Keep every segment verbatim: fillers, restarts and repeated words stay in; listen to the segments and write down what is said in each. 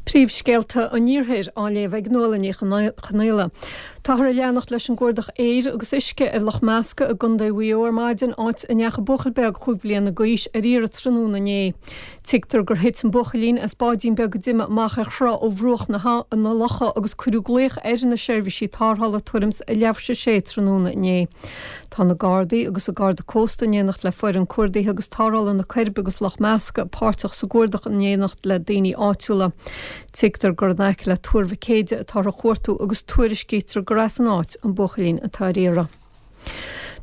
Príomhscéalta an Iarthair á léamh ag Nuala Ní Chonaola. Táthar ag leanacht leis an gcuardach aeir agus uisce ar Loch Measca i gContae Mhaigh Eo ar maidin áit a ndeachaigh buachaill beag chúig bliana d'aois ar iarraidh tráthnóna inné. Tuigtear gur thit an buachaillín as báidín beag a d'imigh amach ar thrá ó bhruach na locha agus cuireadh glaoch ar na seirbhísí tarrthála tuairim is a leathuair tar éis a sé tráthnóna inné. Tá na Gardaí agus an Garda Cósta in éineacht le foireann cuardaithe agus tarrthála na Coiribe agus Loch Measca páirteach sa gcuardach in éineacht le daoine áitiúla. Tuigtear gur in aice le Tuar Mhic Éide atáthar á chuartú agus tuairiscítear gur as an áit an buachaillín atá ar iarraidh.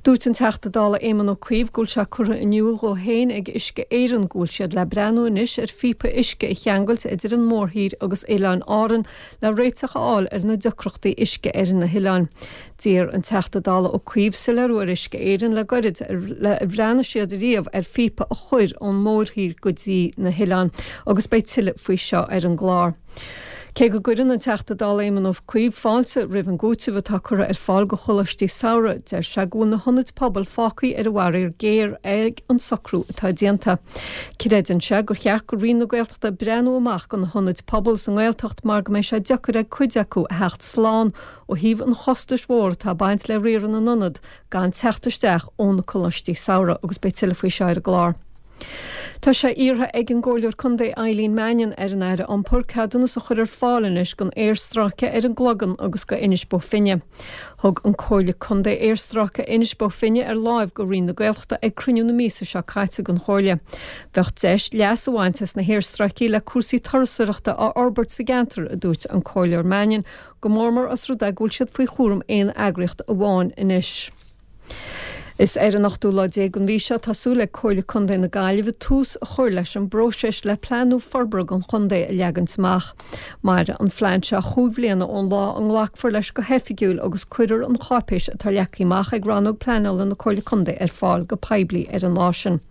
Dúirt an Teachta Dála Éamon Ó Cuív go bhfuil sé curtha in iúl dhó féin ag Uisce Éireann go bhfuil siad le breathnú anois ar phíopa uisce a cheangailt idir an mórthír agus Oileáin Árann le réiteach a fháil ar na deacrachtaí uisce ar na hoileáin. D'iarr an Teachta Dála Ó Cuív soiléiriú ar Uisce Éireann le gairid le ar bhreathnaigh siad riamh ar phíopa a chur ón mórthír go dtí na hoileáin agus beidh tuilleadh faoi seo ar an gclár. Cé go gcuireann an Teachta Dála Éamon Ó Cuív fáilte roimh an gcúiteamh atá curtha ar fáil go choláistí samhraidh, deir sé go bhfuil na hionaid pobail fágtha ar an bhfaraor géar ag an socrú atá déanta. Creideann sé gur cheart go Roinn na Gaeltachta breathnú amach go na hionaid pobail sa nGaeltacht mar go mbeidh sé deacair ag cuid acu a theacht slán ó thaobh an chostais mhór atá ag baint le riaradh na n-ionad gan teacht isteach ó na coláistí samhraidh agus beidh tuilleadh faoi seo ar an gclár. Tá sé iarrtha ag an gComhairleoir Contae Eileen Mannion ar an Aire Iompair ceadúnas a chur ar fáil anois don aerstráice ar an gCloigeann agus go Inis Bó Finne. Thug an Comhairle Contae aerstráice Inis Bó Finne ar láimh go Roinn na Gaeltachta ag cruinniú na míosa seo caite den Chomhairle. Bheadh deis leas a bhaint as na haerstráicí le cúrsaí turasóireachta a fhorbairt sa gceantar, a dúirt an Comhairleoir Mannion, go mór mór os rud é go bhfuil siad faoi chúram aon eagraíocht amháin anois. Is ar an ochtú lá déag den mhí seo tá súil ag Comhairle Contae na Gaillimhe tús a chur leis an bpróiseas le plean nua forbartha don chontae a leagan amach. Mairfidh an phlean seo chúig bhliana ón lá a nglacfar leis go hoifigiúil agus cuirfear an cháipéis atá leagtha amach ag rannóg pleanála na Comhairle Contae ar fáil go poiblí ar an lá sin.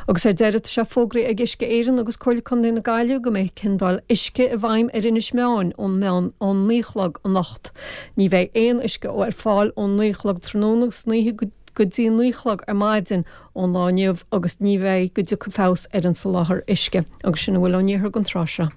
Agus ar deireadh tá sé fógraithe ag Uisce Éireann agus Comhairle Contae na Gaillimhe go mbeidh ciondáil uisce i bhfeidhm ar Inis Meáin ón meán ón naoi a chlog anocht. Ní bheidh aon uisce ar fáil ón naoi a chlog tráthnóna san oíche go go dtí naoi a chlog ar maidin ón lá inniu agus ní bheidh go dtiocfaidh feabhas ar an soláthar uisce agus sin a bhfuil ón iarthar don tráth seo.